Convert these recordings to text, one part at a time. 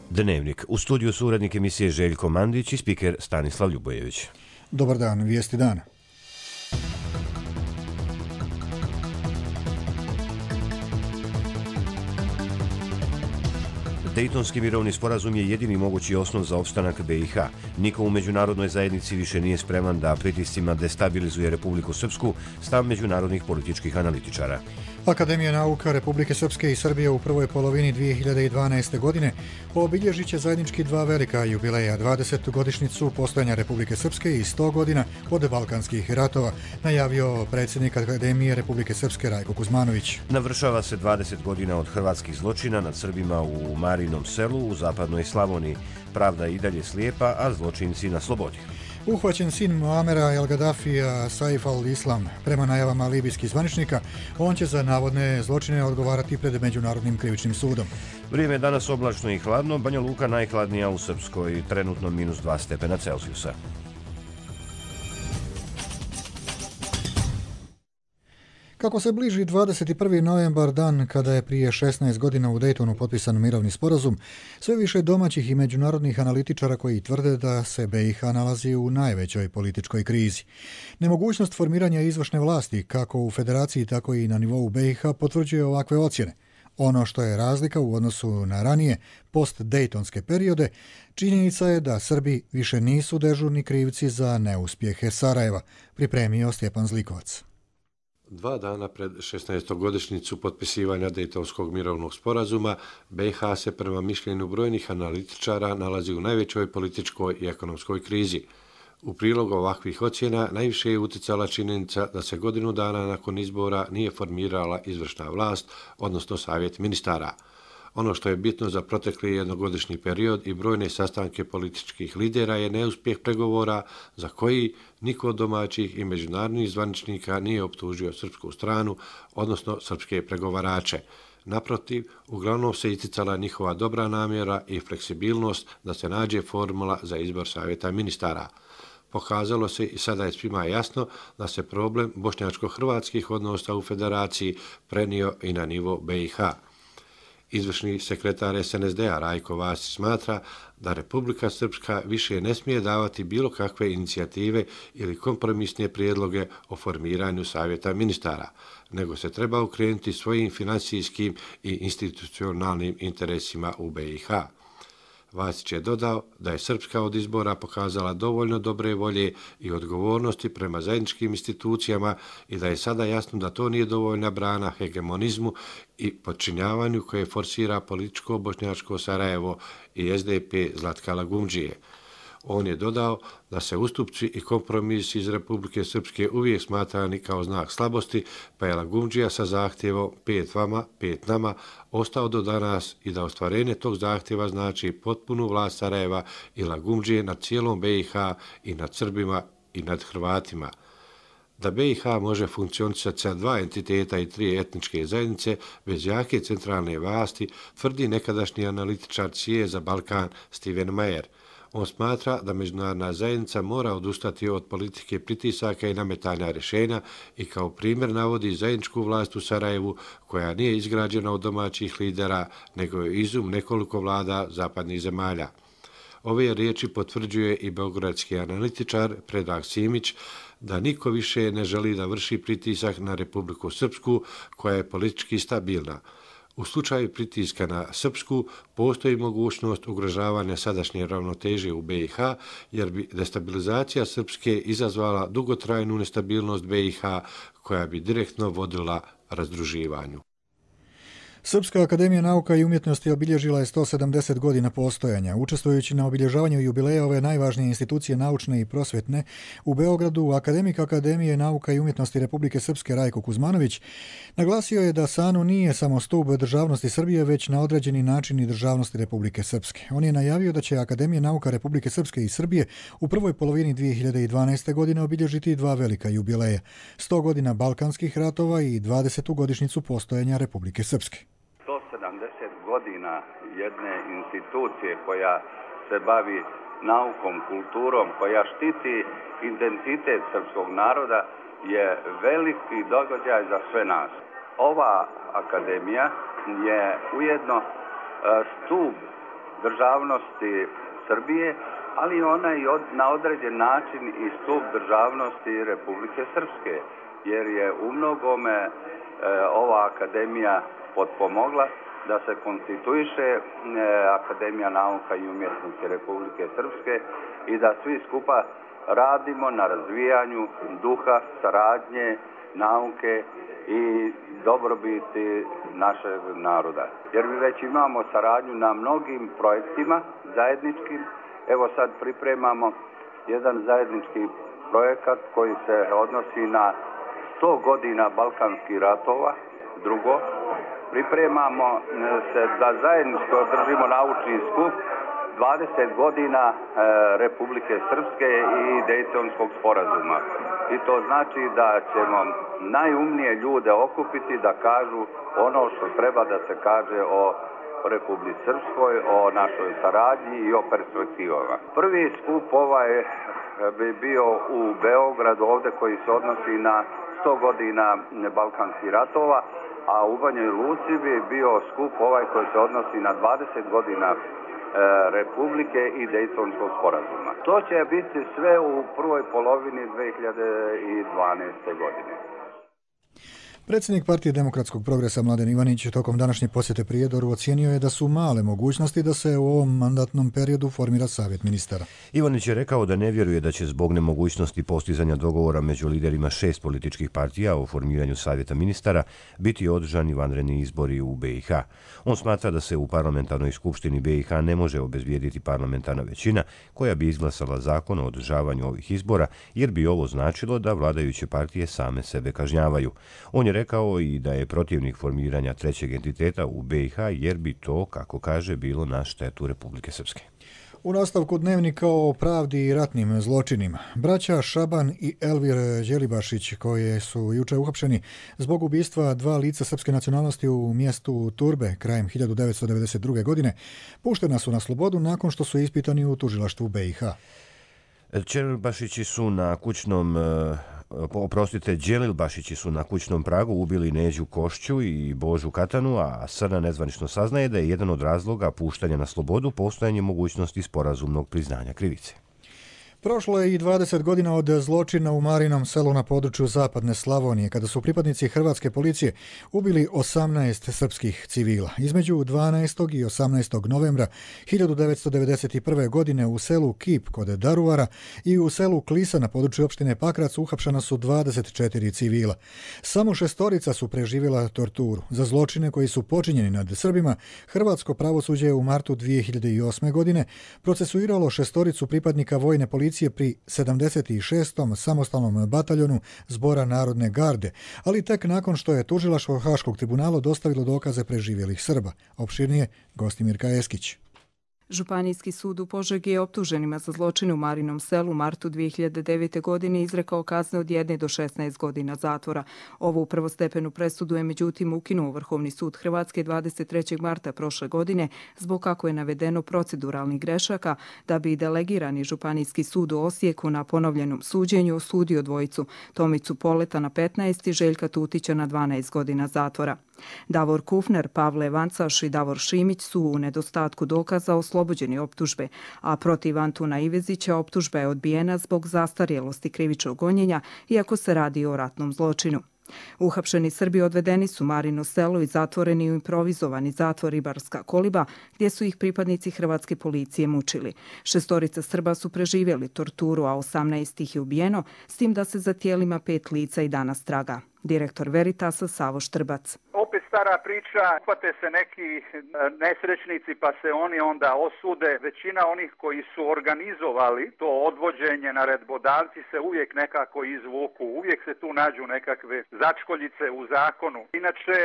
Dnevnik. U studiju su urednik emisije Željko Mandić i spiker Stanislav Ljubojević. Dobar dan, vijesti dana. Dejtonski mirovni sporazum je jedini mogući osnov za opstanak BiH. Niko u međunarodnoj zajednici više nije spreman da pritiscima destabilizuje Republiku Srpsku, stav međunarodnih političkih analitičara. Akademija nauka Republike Srpske i Srbije u prvoj polovini 2012. godine obilježit će zajednički dva velika jubileja, 20. godišnjicu postojanja Republike Srpske i 100 godina od Balkanskih ratova, najavio predsjednik Akademije Republike Srpske Rajko Kuzmanović. Navršava se 20 godina od hrvatskih zločina nad Srbima u Marinom selu u zapadnoj Slavoniji. Pravda je i dalje slijepa, a zločinci na slobodi. Uhvaćen sin Muamera El Gaddafija Saif al-Islam, prema najavama libijskih zvaničnika, on će za navodne zločine odgovarati pred Međunarodnim krivičnim sudom. Vrijeme je danas oblačno i hladno, Banja Luka najhladnija u Srpskoj, trenutno -2 stepena Celzijusa. Kako se bliži 21. novembar, dan kada je prije 16 godina u Dejtonu potpisan mirovni sporazum, sve više domaćih i međunarodnih analitičara koji tvrde da se BiH nalazi u najvećoj političkoj krizi. Nemogućnost formiranja izvršne vlasti, kako u federaciji, tako i na nivou BiH, potvrđuje ovakve ocjene. Ono što je razlika u odnosu na ranije post-dejtonske periode, činjenica je da Srbi više nisu dežurni krivci za neuspjehe Sarajeva, pripremio Stjepan Zlikovac. 2 dana pred 16. godišnjicu potpisivanja Dejtonskog mirovnog sporazuma, BiH se prema mišljenju brojnih analitičara nalazi u najvećoj političkoj i ekonomskoj krizi. U prilog ovakvih ocjena najviše je utjecala činjenica da se godinu dana nakon izbora nije formirala izvršna vlast, odnosno savjet ministara. Ono što je bitno za protekli jednogodišnji period i brojne sastanke političkih lidera je neuspjeh pregovora za koji niko od domaćih i međunarodnih zvaničnika nije optužio srpsku stranu, odnosno srpske pregovarače. Naprotiv, uglavnom se isticala njihova dobra namjera i fleksibilnost da se nađe formula za izbor savjeta ministara. Pokazalo se i sada je svima jasno da se problem bošnjačko-hrvatskih odnosa u federaciji prenio i na nivo BiH. Izvršni sekretar SNSD-a Rajko Vasić smatra da Republika Srpska više ne smije davati bilo kakve inicijative ili kompromisne prijedloge o formiranju savjeta ministara, nego se treba okrenuti svojim financijskim i institucionalnim interesima u BiH. Vasić je dodao da je Srpska od izbora pokazala dovoljno dobre volje i odgovornosti prema zajedničkim institucijama i da je sada jasno da to nije dovoljna brana hegemonizmu i podčinjavanju koje forsira političko bošnjačko Sarajevo i SDP Zlatka Lagumdžije. On je dodao da se ustupci i kompromisi iz Republike Srpske uvijek smatrani kao znak slabosti, pa je Lagumdžija sa zahtjevom 5 vama, 5 nama ostao do danas i da ostvarenje tog zahtjeva znači potpunu vlast Sarajeva i Lagumdžije nad cijelom BiH i nad Srbima i nad Hrvatima. Da BiH može funkcionisati sa 2 entiteta i 3 etničke zajednice bez jake centralne vlasti, tvrdi nekadašnji analitičar CIA za Balkan Steven Mayer. On smatra da međunarodna zajednica mora odustati od politike pritisaka i nametanja rješenja i kao primjer navodi zajedničku vlast u Sarajevu koja nije izgrađena od domaćih lidera, nego je izum nekoliko vlada zapadnih zemalja. Ove riječi potvrđuje i beogradski analitičar Predrag Simić da niko više ne želi da vrši pritisak na Republiku Srpsku koja je politički stabilna. U slučaju pritiska na Srpsku postoji mogućnost ugrožavanja sadašnje ravnoteže u BiH, jer bi destabilizacija Srpske izazvala dugotrajnu nestabilnost BiH koja bi direktno vodila razdruživanju. Srpska akademija nauka i umjetnosti obilježila je 170 godina postojanja. Učestvujući na obilježavanju jubileja ove najvažnije institucije naučne i prosvjetne, u Beogradu akademik Akademije nauka i umjetnosti Republike Srpske Rajko Kuzmanović naglasio je da SANU nije samo stup državnosti Srbije, već na određeni način i državnosti Republike Srpske. On je najavio da će Akademija nauka Republike Srpske i Srbije u prvoj polovini 2012. godine obilježiti 2 velika jubileja, 100 godina Balkanskih ratova i 20. godišnjicu postojanja Republike Srpske. 170 godina jedne institucije koja se bavi naukom, kulturom, koja štiti identitet srpskog naroda je veliki događaj za sve nas. Ova akademija je ujedno stup državnosti Srbije, ali ona i na određen način i stup državnosti Republike Srpske, jer je u mnogome ova akademija potpomogla da se konstituiše Akademija nauka i umjetnosti Republike Srpske i da svi skupa radimo na razvijanju duha, saradnje, nauke i dobrobiti našeg naroda. Jer mi već imamo saradnju na mnogim projektima zajedničkim. Evo sad pripremamo jedan zajednički projekat koji se odnosi na 100 godina Balkanskih ratova. Drugo, pripremamo se da zajednički održimo naučni skup 20 godina Republike Srpske i Dejtonskog sporazuma. I to znači da ćemo najumnije ljude okupiti da kažu ono što treba da se kaže o Republici Srpskoj, o našoj saradnji i o perspektivama. Prvi skup bi bio u Beogradu ovde koji se odnosi na 100 godina Balkanskih ratova, a u Banjoj Luci bi bio skup koji se odnosi na 20 godina Republike i Dejtonskog sporazuma. To će biti sve u prvoj polovini 2012. godine. Predsjednik Partije demokratskog progresa Mladen Ivanić tokom današnje posjete Prijedoru ocijenio je da su male mogućnosti da se u ovom mandatnom periodu formira savjet ministara. Ivanić je rekao da ne vjeruje da će zbog nemogućnosti postizanja dogovora među liderima 6 političkih partija o formiranju savjeta ministara biti održani vanredni izbori u BiH. On smatra da se u parlamentarnoj skupštini BiH ne može obezbijediti parlamentarna većina koja bi izglasala zakon o održavanju ovih izbora, jer bi ovo značilo da vladajuće partije same sebe kažnjavaju. On je rekao i da je protivnik formiranja trećeg entiteta u BiH, jer bi to, kako kaže, bilo na štetu Republike Srpske. U nastavku dnevnika o pravdi i ratnim zločinima, braća Šaban i Elvir Đelibašić, koje su juče uhapšeni zbog ubistva 2 lica srpske nacionalnosti u mjestu Turbe krajem 1992. godine, puštena su na slobodu nakon što su ispitani u tužilaštvu BiH. Đelibašići su na kućnom pragu ubili Neđu Košću i Božu Katanu, a Srna nezvanično saznaje da je jedan od razloga puštanja na slobodu postojanje mogućnosti sporazumnog priznanja krivice. Prošlo je i 20 godina od zločina u Marinom selu na području zapadne Slavonije, kada su pripadnici hrvatske policije ubili 18 srpskih civila. Između 12. i 18. novembra 1991. godine u selu Kip kod Daruvara i u selu Klisa na području opštine Pakrac uhapšena su 24 civila. Samo 6 su preživjela torturu. Za zločine koji su počinjeni nad Srbima, hrvatsko pravosuđe je u martu 2008. godine procesuiralo 6 pripadnika vojne policije pri 76. samostalnom bataljonu Zbora Narodne garde, ali tek nakon što je tužilaštvo Haškog tribunala dostavilo dokaze preživjelih Srba. Opširnije Gostimirka Eskić. Županijski sud u Požegi je optuženima za zločine u Marinom selu u martu 2009. godine izrekao kazne od 1 do 16 godina zatvora. Ovu prvostepenu presudu je međutim ukinuo Vrhovni sud Hrvatske 23. marta prošle godine zbog, kako je navedeno, proceduralnih grešaka, da bi delegirani Županijski sud u Osijeku na ponovljenom suđenju osudio dvojicu, Tomicu Poleta na 15 i Željka Tutića na 12 godina zatvora. Davor Kufner, Pavle Vancaš i Davor Šimić su u nedostatku dokaza oslobođeni optužbe, a protiv Antuna Ivezića optužba je odbijena zbog zastarjelosti krivičnog gonjenja, iako se radi o ratnom zločinu. Uhapšeni Srbi odvedeni su Marino selo i zatvoreni u improvizovani zatvor Ribarska koliba, gdje su ih pripadnici hrvatske policije mučili. 6 Srba su preživjeli torturu, a 18 ih je ubijeno, s tim da se za tijelima 5 lica i danas traga. Direktor Veritasa Savo Štrbac. Opet stara priča, hvate se neki nesrećnici pa se oni onda osude. Većina onih koji su organizovali to odvođenje, naredbodavci se uvijek nekako izvuku. Uvijek se tu nađu nekakve začkoljice u zakonu. Inače,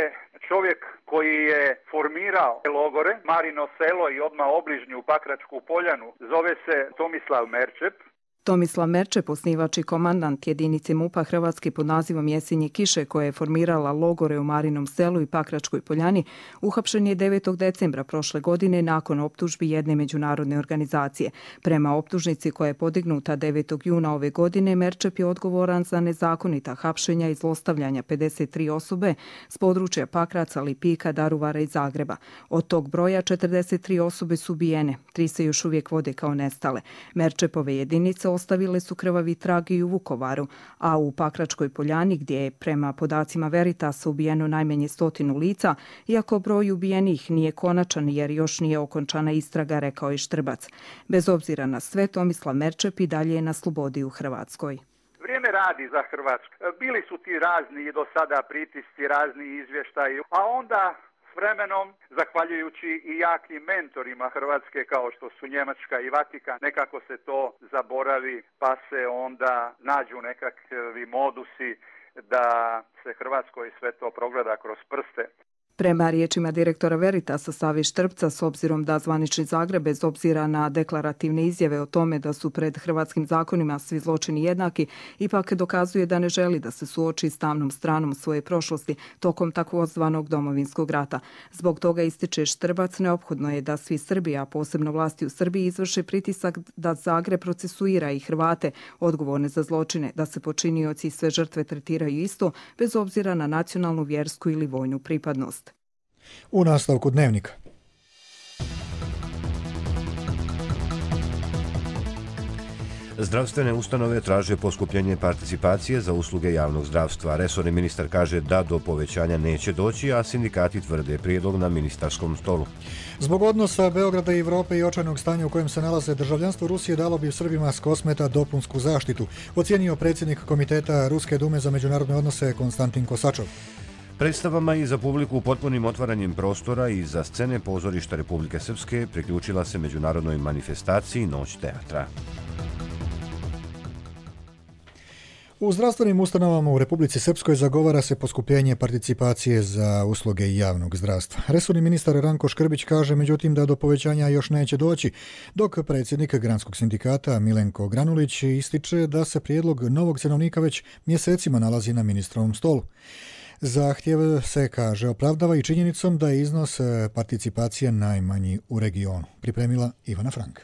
čovjek koji je formirao logore, Marino selo i odmah obližnju Pakračku poljanu, zove se Tomislav Merčep. Tomislav Merčep, osnivač i komandant jedinice MUP-a Hrvatske pod nazivom Jesenje kiše, koja je formirala logore u Marinom Selu i Pakračkoj Poljani, uhapšen je 9. decembra prošle godine nakon optužbi jedne međunarodne organizacije. Prema optužnici koja je podignuta 9. juna ove godine, Merčep je odgovoran za nezakonita hapšenja i zlostavljanja 53 osobe s područja Pakraca, Lipika, Daruvara i Zagreba. Od tog broja 43 osobe su ubijene, 3 se još uvijek vode kao nestale. Merčepove jedinice ostavile su krvavi trag i u Vukovaru, a u Pakračkoj Poljani, gdje je prema podacima Veritasa ubijeno najmanje 100 lica, iako broj ubijenih nije konačan jer još nije okončana istraga, rekao je Štrbac. Bez obzira na sve, Tomislav Merčep i dalje je na slobodi u Hrvatskoj. Vrijeme radi za Hrvatsku. Bili su ti razni do sada pritisci, razni izvještaji, a onda s vremenom, zahvaljujući i jakim mentorima Hrvatske kao što su Njemačka i Vatikan, nekako se to zaboravi pa se onda nađu nekakvi modusi da se Hrvatskoj sve to progleda kroz prste. Prema riječima direktora Veritasa Save Štrbca, s obzirom da zvanični Zagreb, bez obzira na deklarativne izjave o tome da su pred hrvatskim zakonima svi zločini jednaki, ipak dokazuje da ne želi da se suoči s tamnom stranom svoje prošlosti tokom takozvanog Domovinskog rata. Zbog toga, ističe Štrbac, neophodno je da svi Srbi, a posebno vlasti u Srbiji, izvrše pritisak da Zagreb procesuira i Hrvate odgovorne za zločine, da se počinioci i sve žrtve tretiraju isto, bez obzira na nacionalnu, vjersku ili vojnu pripadnost. U nastavku Dnevnika. Zdravstvene ustanove traže poskupljenje participacije za usluge javnog zdravstva. Resorni ministar kaže da do povećanja neće doći, a sindikati tvrde prijedlog na ministarskom stolu. Zbog odnosa Beograda i Evrope i očajnog stanja u kojem se nalaze, državljanstvo Rusije dalo bi Srbima s Kosmeta dopunsku zaštitu, ocijenio predsjednik Komiteta Ruske dume za međunarodne odnose Konstantin Kosačov. Predstavama i za publiku potpunim otvaranjem prostora i za scene pozorišta Republike Srpske priključila se međunarodnoj manifestaciji Noć teatra. U zdravstvenim ustanovama u Republici Srpskoj zagovara se poskupljenje participacije za usluge javnog zdravstva. Resorni ministar Ranko Škrbić kaže, međutim, da do povećanja još neće doći, dok predsjednik Granskog sindikata Milenko Granulić ističe da se prijedlog novog cenovnika već mjesecima nalazi na ministrovom stolu. Zahtjev se, kaže, opravdava i činjenicom da je iznos participacije najmanji u regionu. Pripremila Ivana Frank.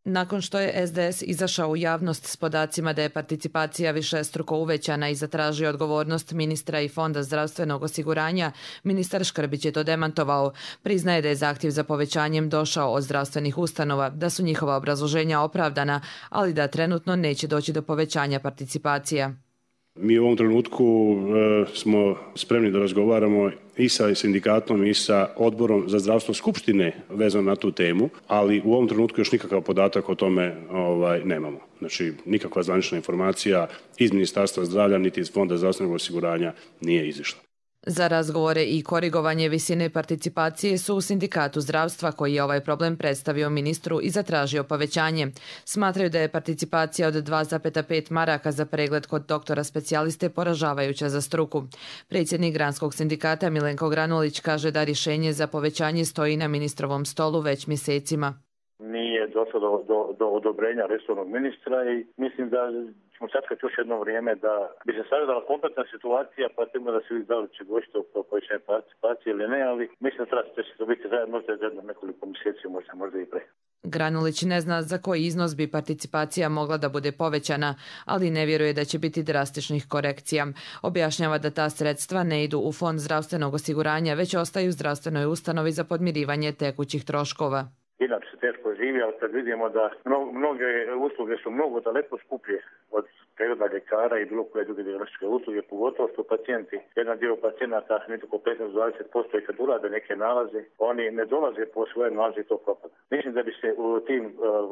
Nakon što je SDS izašao u javnost s podacima da je participacija višestruko uvećana i zatražio odgovornost ministra i Fonda zdravstvenog osiguranja, ministar Škrbić je to demantovao. Priznaje da je zahtjev za povećanjem došao od zdravstvenih ustanova, da su njihova obrazloženja opravdana, ali da trenutno neće doći do povećanja participacija. Mi u ovom trenutku smo spremni da razgovaramo i sa sindikatom i sa odborom za zdravstvo Skupštine vezano na tu temu, ali u ovom trenutku još nikakav podatak o tome nemamo. Znači, nikakva zvanična informacija iz Ministarstva zdravlja niti iz Fonda zdravstvenog osiguranja nije izišla. Za razgovore i korigovanje visine participacije su u Sindikatu zdravstva, koji je ovaj problem predstavio ministru i zatražio povećanje. Smatraju da je participacija od 2,5 maraka za pregled kod doktora specijaliste poražavajuća za struku. Predsjednik Granskog sindikata Milenko Granulić kaže da rješenje za povećanje stoji na ministrovom stolu već mjesecima. Nije došlo do odobrenja resornog ministra i mislim da ćemo čekati još jedno vrijeme da bi se sagledala kompletna situacija, pa ćemo da se vidi da li će doći do povećanja participacije ili ne, ali mislim da će to biti možda za nekoliko mjeseci, možda i pre. Granulić ne zna za koji iznos bi participacija mogla da bude povećana, ali ne vjeruje da će biti drastičnih korekcija. Objašnjava da ta sredstva ne idu u Fond zdravstvenog osiguranja, već ostaju zdravstvenoj ustanovi za podmirivanje tekućih troškova. Inače se teško živi, ali kad vidimo da mnoge usluge su mnogo daleko skuplje od pregleda ljekara i bilo koje druge dijagnostičke usluge, pogotovo što pacijenti, jedan dio pacijenata, nekako 15-20% i kad urade neke nalaze, oni ne dolaze po svoje nalaze i to propada. Mislim da bi se u tim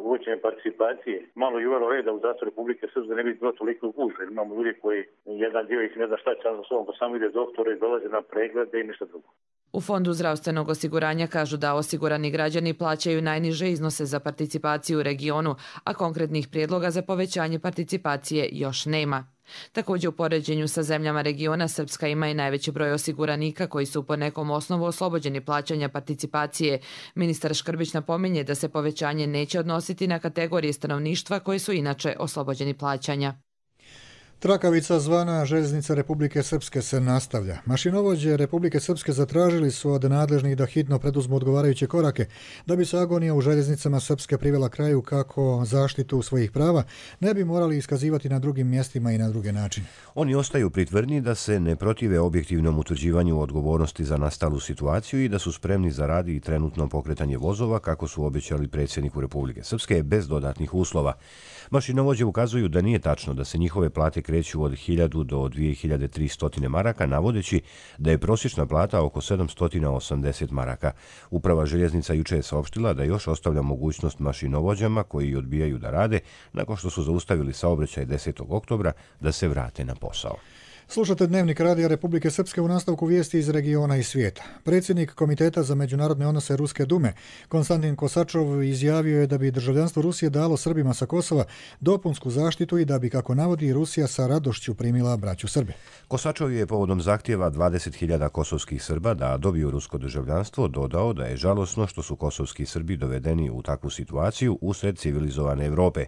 uvećanjem participacije malo i uvelo reda u zdravstvu Republike Srpske, ne bi bilo toliko gužve. Imamo ljudi koji jedan dio ih ne zna šta će sa sobom, pa samo ide doktore i dolaze na preglede i ništa drugo. U Fondu zdravstvenog osiguranja kažu da osigurani građani plaćaju najniže iznose za participaciju u regionu, a konkretnih prijedloga za povećanje participacije još nema. Također u poređenju sa zemljama regiona Srpska ima i najveći broj osiguranika koji su po nekom osnovu oslobođeni plaćanja participacije. Ministar Škrbić napominje da se povećanje neće odnositi na kategorije stanovništva koji su inače oslobođeni plaćanja. Trakavica zvana Željeznica Republike Srpske se nastavlja. Mašinovođe Republike Srpske zatražili su od nadležnih da hitno preduzmu odgovarajuće korake da bi se agonija u željeznicama Srpske privela kraju kako zaštitu svojih prava ne bi morali iskazivati na drugim mjestima i na druge načine. Oni ostaju pri tvrdnji da se ne protive objektivnom utvrđivanju odgovornosti za nastalu situaciju i da su spremni za rad i trenutno pokretanje vozova kako su obećali predsjedniku Republike Srpske bez dodatnih uslova. Mašinovođe ukazuju da nije tačno da se njihove plate kreću od 1000 do 2300 maraka, navodeći da je prosječna plata oko 780 maraka. Uprava željeznica juče je saopštila da još ostavlja mogućnost mašinovođama koji odbijaju da rade nakon što su zaustavili saobraćaj 10. oktobra da se vrate na posao. Slušate Dnevnik Radija Republike Srpske u nastavku vijesti iz regiona i svijeta. Predsjednik Komiteta za međunarodne odnose Ruske dume, Konstantin Kosačov, izjavio je da bi državljanstvo Rusije dalo Srbima sa Kosova dopunsku zaštitu i da bi, kako navodi, Rusija sa radošću primila braću Srbe. Kosačov je povodom zahtjeva 20.000 kosovskih Srba da dobiju rusko državljanstvo dodao da je žalosno što su kosovski Srbi dovedeni u takvu situaciju usred civilizovane Evrope.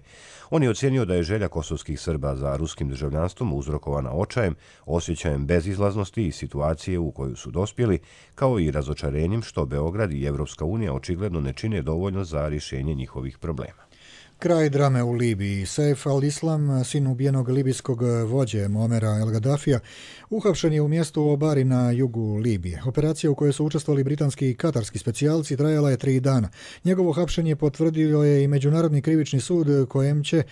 On je ocjenio da je želja kosovskih Srba za ruskim državljanstvom uzrokovana očajem, osjećajem bezizlaznosti i situacije u koju su dospjeli, kao i razočarenjem što Beograd i Evropska unija očigledno ne čine dovoljno za rješenje njihovih problema. Kraj drame u Libiji. Saif al-Islam, sin ubijenog libijskog vođe Muamera el-Gaddafija, uhapšen je u mjestu Obari na jugu Libije. Operacija u kojoj su učestvovali britanski i katarski specijalci trajala je 3 dana. Njegovo hapšenje potvrdio je i Međunarodni krivični sud kojem će,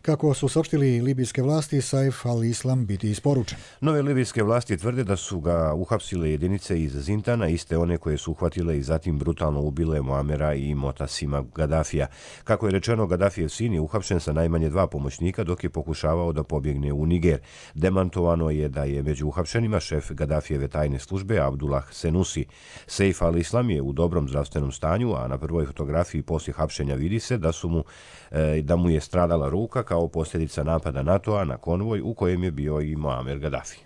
kako su saopštili libijske vlasti, Saif al-Islam biti isporučen. Nove libijske vlasti tvrde da su ga uhapsile jedinice iz Zintana, iste one koje su uhvatile i zatim brutalno ubile Muamera i Motasima Gaddafija. Kako je rečeno, Gaddafijev sin je uhapšen sa najmanje 2 pomoćnika dok je pokušavao da pobjegne u Niger. Demantovano je da je među uhapšenima šef Gaddafijeve tajne službe Abdullah Senusi. Saif al-Islam je u dobrom zdravstvenom stanju, a na prvoj fotografiji poslije hapšenja vidi se da mu je stradala ruka kao posljedica napada NATO-a na konvoj u kojem je bio i Muamer Gaddafi.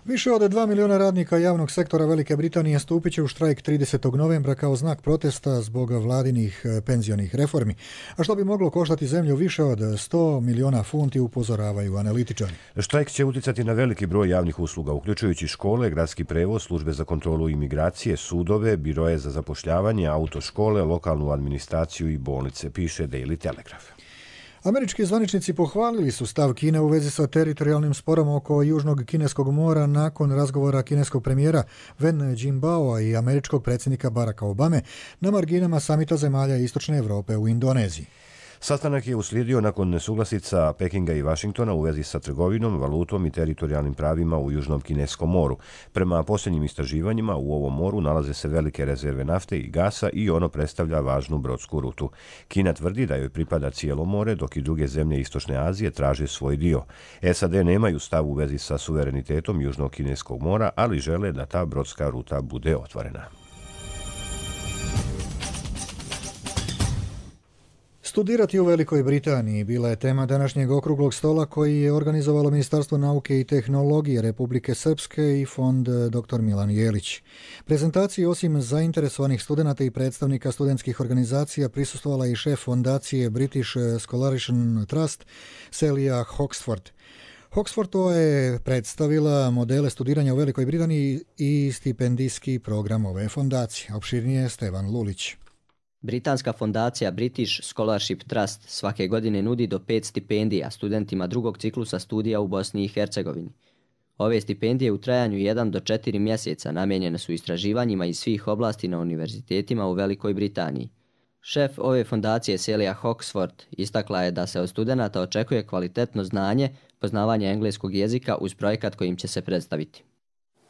Više od 2 miliona radnika javnog sektora Velike Britanije stupit će u štrajk 30. novembra kao znak protesta zbog vladinih penzionih reformi, a što bi moglo koštati zemlju više od 100 miliona funti, upozoravaju analitičari. Štrajk će uticati na veliki broj javnih usluga, uključujući škole, gradski prevoz, službe za kontrolu imigracije, sudove, biroje za zapošljavanje, autoškole, lokalnu administraciju i bolnice, piše Daily Telegraph. Američki zvaničnici pohvalili su stav Kine u vezi sa teritorijalnim sporom oko Južnog kineskog mora nakon razgovora kineskog premijera Wen Jinbaoa i američkog predsjednika Baracka Obame na marginama samita zemalja Istočne Evrope u Indoneziji. Sastanak je uslijedio nakon nesuglasica Pekinga i Vašingtona u vezi sa trgovinom, valutom i teritorijalnim pravima u Južnom kineskom moru. Prema posljednjim istraživanjima u ovom moru nalaze se velike rezerve nafte i gasa i ono predstavlja važnu brodsku rutu. Kina tvrdi da joj pripada cijelo more, dok i druge zemlje Istočne Azije traže svoj dio. SAD nemaju stav u vezi sa suverenitetom Južnog kineskog mora, ali žele da ta brodska ruta bude otvorena. Studirati u Velikoj Britaniji bila je tema današnjeg okruglog stola koji je organizovalo Ministarstvo nauke i tehnologije Republike Srpske i fond dr. Milan Jelić. Prezentaciji osim zainteresovanih studenata i predstavnika studentskih organizacija prisustvovala i šef fondacije British Scholarship Trust Celia Hoxford. Hoxford je predstavila modele studiranja u Velikoj Britaniji i stipendijski program ove fondacije. Opširnije Stevan Lulić. Britanska fondacija British Scholarship Trust svake godine nudi do 5 stipendija studentima drugog ciklusa studija u Bosni i Hercegovini. Ove stipendije u trajanju 1 do 4 mjeseca namijenjene su istraživanjima iz svih oblasti na univerzitetima u Velikoj Britaniji. Šef ove fondacije Celia Hoxford istakla je da se od studenata očekuje kvalitetno znanje, poznavanje engleskog jezika uz projekat kojim će se predstaviti.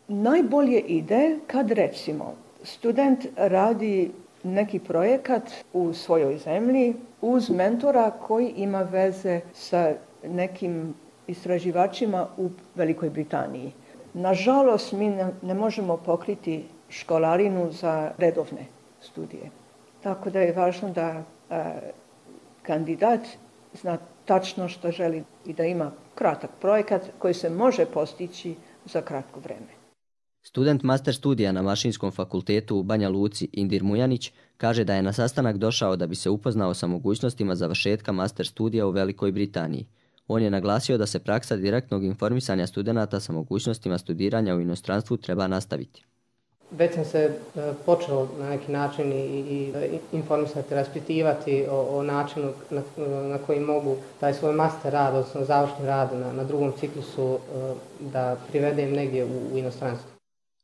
Najbolje ide kad recimo student radi neki projekat u svojoj zemlji uz mentora koji ima veze sa nekim istraživačima u Velikoj Britaniji. Nažalost, mi ne možemo pokriti školarinu za redovne studije. Tako da je važno da kandidat zna tačno što želi i da ima kratak projekat koji se može postići za kratko vreme. Student master studija na Mašinskom fakultetu u Banja Luci Indir Mujanić kaže da je na sastanak došao da bi se upoznao sa mogućnostima završetka master studija u Velikoj Britaniji. On je naglasio da se praksa direktnog informisanja studenata sa mogućnostima studiranja u inostranstvu treba nastaviti. Već sam se počeo na neki način i informisati, raspitivati o načinu na koji mogu taj svoj master rad, odnosno završni rad na drugom ciklusu da privedem negdje u inostranstvu.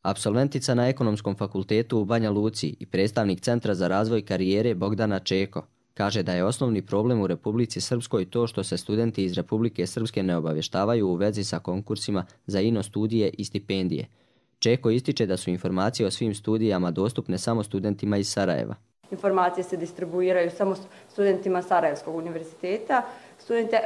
Apsolventica na Ekonomskom fakultetu u Banja Luci i predstavnik Centra za razvoj karijere Bogdana Čeko kaže da je osnovni problem u Republici Srpskoj to što se studenti iz Republike Srpske ne obavještavaju u vezi sa konkursima za ino studije i stipendije. Čeko ističe da su informacije o svim studijama dostupne samo studentima iz Sarajeva. Informacije se distribuiraju samo studentima Sarajevskog univerziteta. Studenti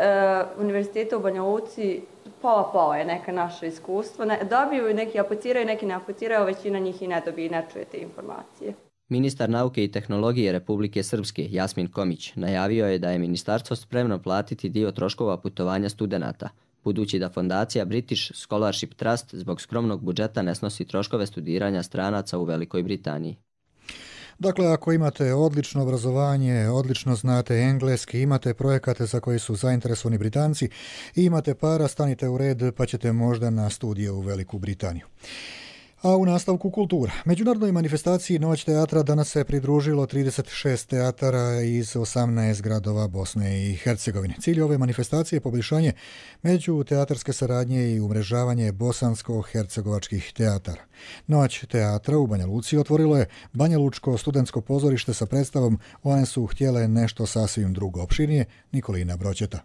univerziteta u Banja Luci pola je neka naše iskustvo. Dobiju, neki apliciraju, neki ne apliciraju, većina njih i ne dobije i ne čuje te informacije. Ministar nauke i tehnologije Republike Srpske Jasmin Komić najavio je da je ministarstvo spremno platiti dio troškova putovanja studenata, budući da fondacija British Scholarship Trust zbog skromnog budžeta ne snosi troškove studiranja stranaca u Velikoj Britaniji. Dakle, ako imate odlično obrazovanje, odlično znate engleski, imate projekate za koji su zainteresovani Britanci i imate para, stanite u red pa ćete možda na studije u Veliku Britaniju. A u nastavku kultura. Međunarodnoj manifestaciji Noć teatra danas se pridružilo 36 teatara iz 18 gradova Bosne i Hercegovine. Cilj ove manifestacije je poboljšanje međuteatarske saradnje i umrežavanje bosansko-hercegovačkih teatara. Noć teatra u Banja Luci otvorilo je Banja Lučko studentsko pozorište sa predstavom One su htjele nešto sasvim drugo. Opširnije Nikolina Broćeta.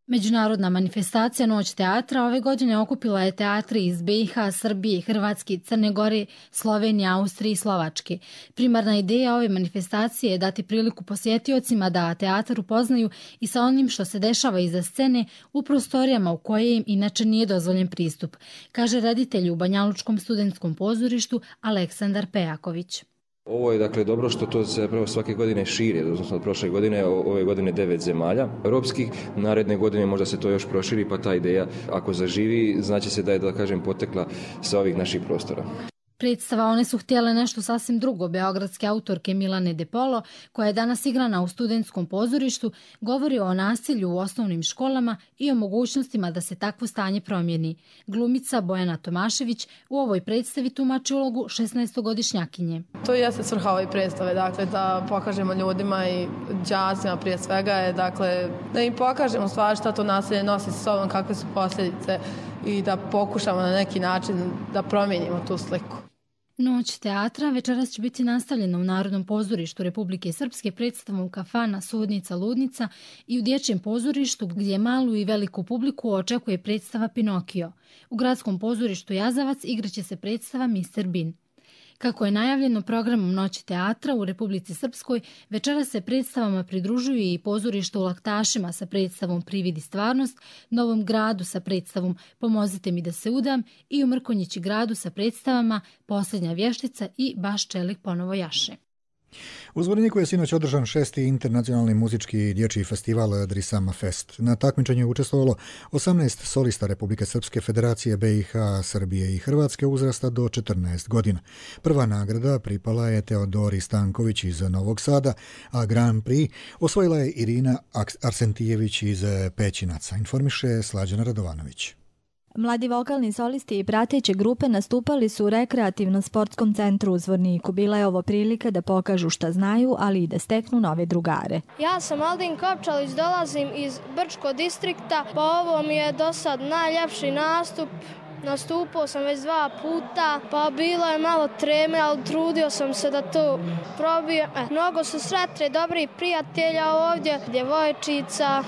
Međunarodna manifestacija Noć teatra ove godine okupila je teatri iz BiH, Srbije, Hrvatske, Crne Gore, Slovenije, Austrije i Slovačke. Primarna ideja ove manifestacije je dati priliku posjetiocima da teatar upoznaju i sa onim što se dešava iza scene u prostorijama u koje im inače nije dozvoljen pristup, kaže reditelj u Banja Lučkom studentskom pozorištu Aleksandar Pejaković. Ovo je dakle dobro što to se svake godine širi, odnosno od prošle godine, ove godine 9 zemalja europskih, naredne godine možda se to još proširi, pa ta ideja ako zaživi znači se da je, da kažem, potekla sa ovih naših prostora. Predstava One su htjele nešto sasvim drugo beogradske autorke Milane De Polo, koja je danas igrana u studentskom pozorištu, govori o nasilju u osnovnim školama i o mogućnostima da se takvo stanje promijeni. Glumica Bojana Tomašević u ovoj predstavi tumači ulogu 16-godišnjakinje. To jeste svrha ove predstave, dakle, da pokažemo ljudima i đacima prije svega je, dakle, da im pokažemo stvari šta to nasilje nosi sa sobom, kakve su posljedice i da pokušamo na neki način da promijenimo tu sliku. Noć teatra večeras će biti nastavljena u Narodnom pozorištu Republike Srpske predstavom Kafana, Sudnica, Ludnica i u Dječjem pozorištu gdje malu i veliku publiku očekuje predstava Pinokio. U Gradskom pozorištu Jazavac igraće se predstava Mr. Bean. Kako je najavljeno programom Noći teatra u Republici Srpskoj, večeras se predstavama pridružuju i pozorište u Laktašima sa predstavom Privid i stvarnost, Novom Gradu sa predstavom Pomozite mi da se udam i u Mrkonjići Gradu sa predstavama Posljednja vještica i Baš čelik ponovo jaše. U Zvorniku je sinoć održan 6. internacionalni muzički dječji festival Drisama Fest. Na takmičenju je učestvovalo 18 solista Republike Srpske, Federacije BiH, Srbije i Hrvatske uzrasta do 14 godina. Prva nagrada pripala je Teodori Stanković iz Novog Sada, a Grand Prix osvojila je Irina Arsentijević iz Pećinaca, informiše Slađana Radovanović. Mladi vokalni solisti i prateće grupe nastupali su u rekreativno-sportskom centru u Zvorniku. Bila je ovo prilika da pokažu šta znaju, ali i da steknu nove drugare. Ja sam Aldin Kopčalić, dolazim iz Brčko distrikta, pa ovo mi je do sad najljepši nastup. Nastupao sam već 2 puta, pa bilo je malo treme, ali trudio sam se da to probijem. Mnogo su sretni, dobri prijatelja ovdje, djevojčica.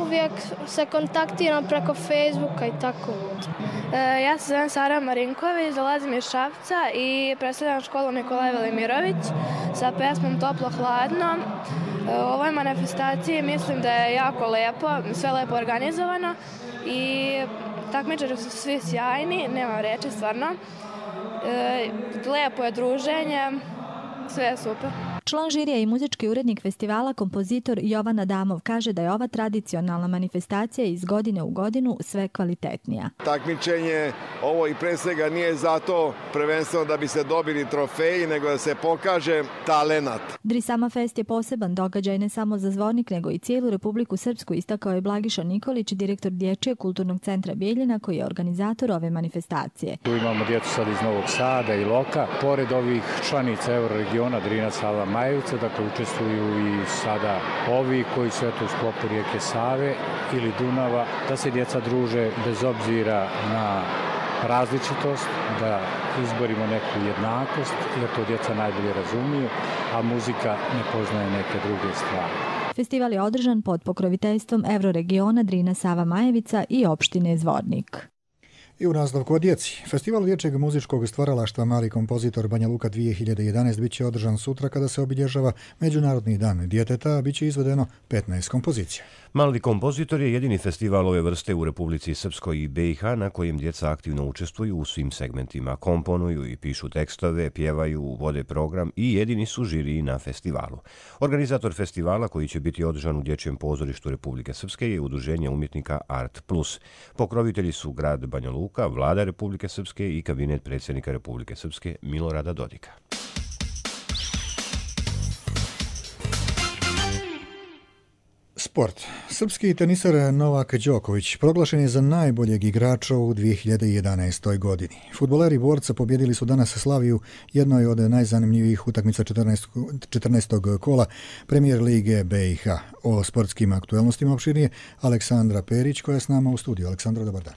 Uvijek se kontaktiram preko Facebooka i tako. Ja se zovem Sara Marinković, dolazim iz Šapca i predstavljam školu Nikolaj Velimirović sa pesmom Toplo hladno. U ovoj manifestaciji mislim da je jako lepo, sve lepo organizovano i takmičari su svi sjajni, nemam reći stvarno. Lepo je druženje, sve je super. Član žirija i muzički urednik festivala, kompozitor Jovan Adamov, kaže da je ova tradicionalna manifestacija iz godine u godinu sve kvalitetnija. Takmičenje ovo i pre svega nije zato prvenstveno da bi se dobili trofeji, nego da se pokaže talenat. Drisama Fest je poseban događaj ne samo za Zvornik, nego i cijelu Republiku Srpsku, istakao je Blagiša Nikolić, direktor Dječjeg kulturnog centra Bijeljina, koji je organizator ove manifestacije. Tu imamo djecu sad iz Novog Sada i Loka. Pored ovih članica Euroregiona, Drina, Sava, Majevica, dakle učestvuju i sada ovi koji su u sklopu rijeke Save ili Dunava, da se djeca druže bez obzira na različitost, da izborimo neku jednakost, jer to djeca najbolje razumiju, a muzika ne poznaje neke druge stvari. Festival je održan pod pokroviteljstvom Euroregiona, Drina, Sava, Majevica i opštine Zvornik. I u nastavku o djeci. Festival dječjeg muzičkog stvaralaštva Mali kompozitor Banja Luka 2011 bit će održan sutra kada se obilježava Međunarodni dan djeteta, a bit će izvedeno 15 kompozicija. Mali kompozitor je jedini festival ove vrste u Republici Srpskoj i BiH na kojem djeca aktivno učestvuju u svim segmentima, komponuju i pišu tekstove, pjevaju, vode program i jedini su žiriji na festivalu. Organizator festivala, koji će biti održan u Dječjem pozorištu Republike Srpske, je Udruženje umjetnika Art Plus. Pokrovitelji su grad Banja Luka, Vlada Republike Srpske i kabinet predsjednika Republike Srpske Milorada Dodika. Sport. Srpski tenisar Novak Đoković proglašen je za najboljeg igrača u 2011. godini. Fudbaleri borca pobjedili su danas Slaviju, jednoj od najzanimljivijih utakmica 14. kola Premier lige BiH. O sportskim aktuelnostima opširnije Aleksandra Perić, koja je s nama u studiju. Aleksandra, dobar dan.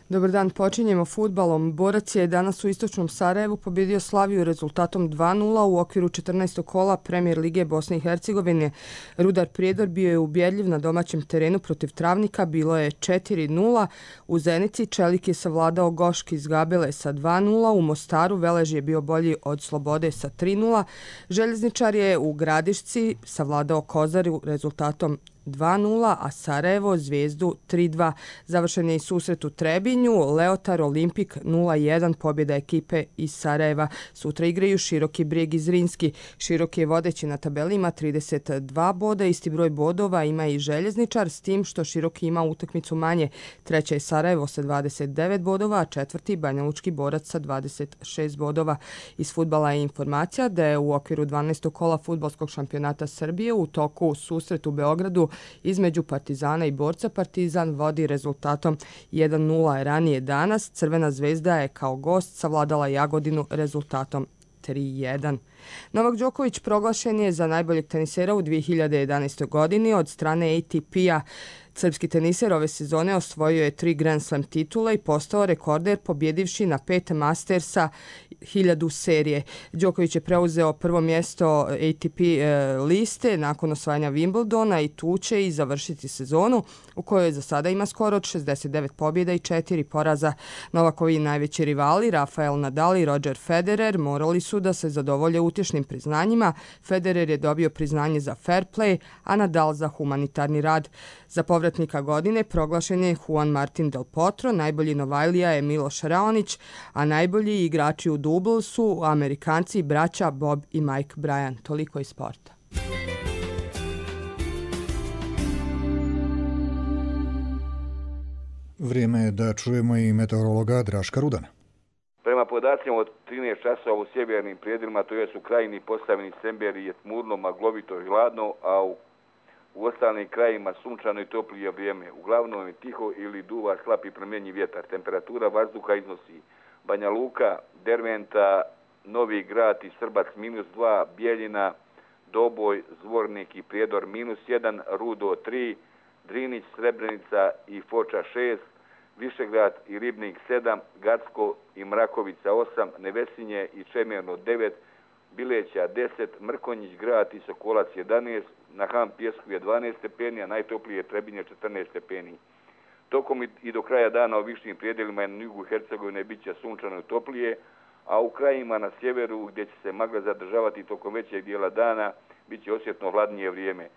Dobar dan, počinjemo fudbalom. Borac je danas u istočnom Sarajevu pobjedio Slaviju rezultatom 2:0 u okviru 14. kola Premier lige Bosne i Hercegovine. Rudar Prijedor bio je ubjedljiv na domaćem terenu protiv Travnika, bilo je 4:0. U Zenici Čelik je savladao Goški iz Gabele sa 2:0, u Mostaru Velež je bio bolji od Slobode sa 3:0. Željezničar je u Gradišci savladao Kozaru rezultatom 2:0, a Sarajevo Zvijezdu 3:2. Završen je i susret u Trebinju, Leotar Olimpik 0:1, pobjeda ekipe iz Sarajeva. Sutra igraju Široki Brijeg i Zrinski. Široki je vodeći na tabeli, ima 32 boda, isti broj bodova ima i Željezničar, s tim što Široki ima utakmicu manje. Treća je Sarajevo sa 29 bodova, a četvrti Banjalučki Borac sa 26 bodova. Iz fudbala je informacija da je u okviru 12. kola fudbalskog šampionata Srbije u toku susret u Beogradu između Partizana i Borca. Partizan vodi rezultatom 1:0. Ranije danas Crvena zvezda je kao gost savladala Jagodinu rezultatom 3:1. Novak Đoković proglašen je za najboljeg tenisera u 2011. godini od strane ATP-a. Srpski teniser ove sezone osvojio je 3 Grand Slam titule i postao rekorder pobjedivši na 5 Mastersa 1000 serije. Đoković je preuzeo prvo mjesto ATP liste nakon osvajanja Wimbledona i tu će i završiti sezonu u kojoj za sada ima skoro od 69 pobjeda i 4 poraza. Novakovi najveći rivali Rafael Nadal i Roger Federer morali su da se zadovolje utješnim priznanjima. Federer je dobio priznanje za fair play, a Nadal za humanitarni rad. Za povratnika godine proglašen je Juan Martin Del Potro, najbolji Novajlija je Miloš Raonić, a najbolji igrači u dublu su Amerikanci, braća Bob i Mike Bryan. Toliko iz sporta. Vrijeme je da čujemo i meteorologa Draška Rudana. Prema podacima od 13 časova u sjevernim prijedjelima, to je u krajini Posavini, Semberi je tmurno, maglovito i hladno, a u ostalim krajima sunčano i toplije vrijeme. Uglavnom je tiho ili duva slab i promjenjiv vjetar. Temperatura vazduha iznosi Banja Luka, Derventa, Novi Grad i Srbac -2, Bijeljina, Doboj, Zvornik i Prijedor -1, Rudo 3, Drinić, Srebrenica i Foča 6, Višegrad i Ribnik 7, Gacko i Mrakovica 8, Nevesinje i Čemerno 9, Bileća 10, Mrkonjić Grad i Sokolac 11, na Han Pjesku je 12 stepeni, a najtoplije je Trebinje 14 stepeni. Tokom i do kraja dana u višim prijedjelima i na jugu Hercegovine bit će sunčano i toplije, a u krajima na sjeveru gdje će se magla zadržavati tokom većeg dijela dana bit će osjetno hladnije vrijeme.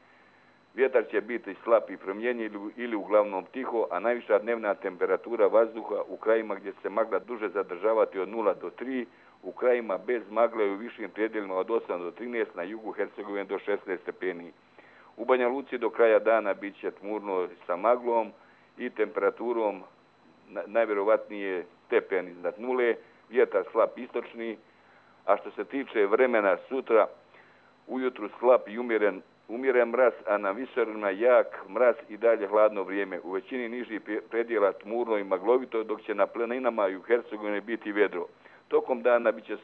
Vjetar će biti slab i promjenjiv ili uglavnom tiho, a najviša dnevna temperatura vazduha u krajima gdje će se magla duže zadržavati od 0 do 3, u krajima bez magle i u višim predjelima od 8 do 13, na jugu Hercegovine do 16 stepeni. U Banja Luci do kraja dana bit će tmurno sa maglom i temperaturom najvjerovatnije stepen iznad nule, vjetar slab istočni, a što se tiče vremena sutra, ujutru slab i umjeren mraz, a na visoravnima jak mraz i dalje hladno vrijeme. U većini nižih predjela tmurno i maglovito, dok će na planinama i u Hercegovini biti vedro. Tokom dana bit će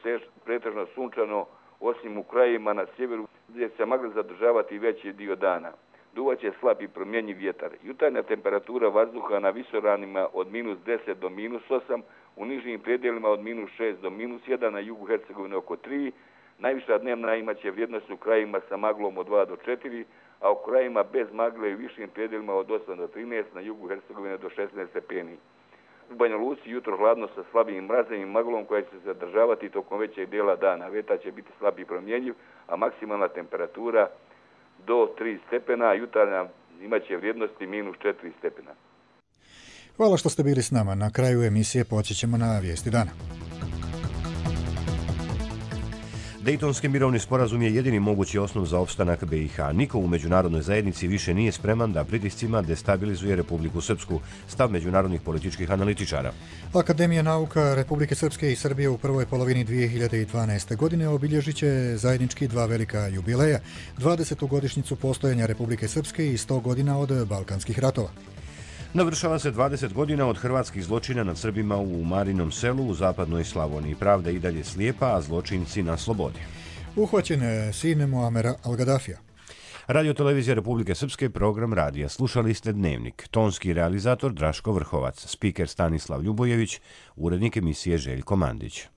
pretežno sunčano, osim u krajima na sjeveru gdje se magla zadržavati veći dio dana. Duvaće slab i promjenjiv vjetar. Jutarnja temperatura vazduha na visoravnima od -10 do -8, u nižim predjelima od -6 do -1, na jugu Hercegovine oko 3. Najviša dnevna imaće vrijednost u krajima sa maglom od 2 do 4, a u krajima bez magle i višim predjelima od 8 do 13, na jugu Hercegovine do 16 stepeni. U Banja Luci jutro hladno sa slabim mrazem i maglom koja će se zadržavati tokom većeg dijela dana. Vetar će biti slab i promjenjiv, a maksimalna temperatura do 3 stepena, a jutarnja imaće vrijednosti -4 stepena. Hvala što ste bili s nama. Na kraju emisije podsjećamo na vijesti dana. Dejtonski mirovni sporazum je jedini mogući osnov za opstanak BiH. Niko u međunarodnoj zajednici više nije spreman da pritiscima destabilizuje Republiku Srpsku, stav međunarodnih političkih analitičara. Akademija nauka Republike Srpske i Srbije u prvoj polovini 2012. godine obilježit će zajednički dva velika jubileja, 20. godišnjicu postojanja Republike Srpske i 100 godina od Balkanskih ratova. Navršava se 20 godina od hrvatskih zločina nad Srbima u Marinom selu u zapadnoj Slavoniji. Pravda i dalje slijepa, a zločinci na slobodi. Uhvaćen sin Muamera Al-Gaddafija. Radio-televizija Republike Srpske, program radija. Slušali ste Dnevnik. Tonski realizator Draško Vrhovac, spiker Stanislav Ljubojević, urednik emisije Željko Mandić.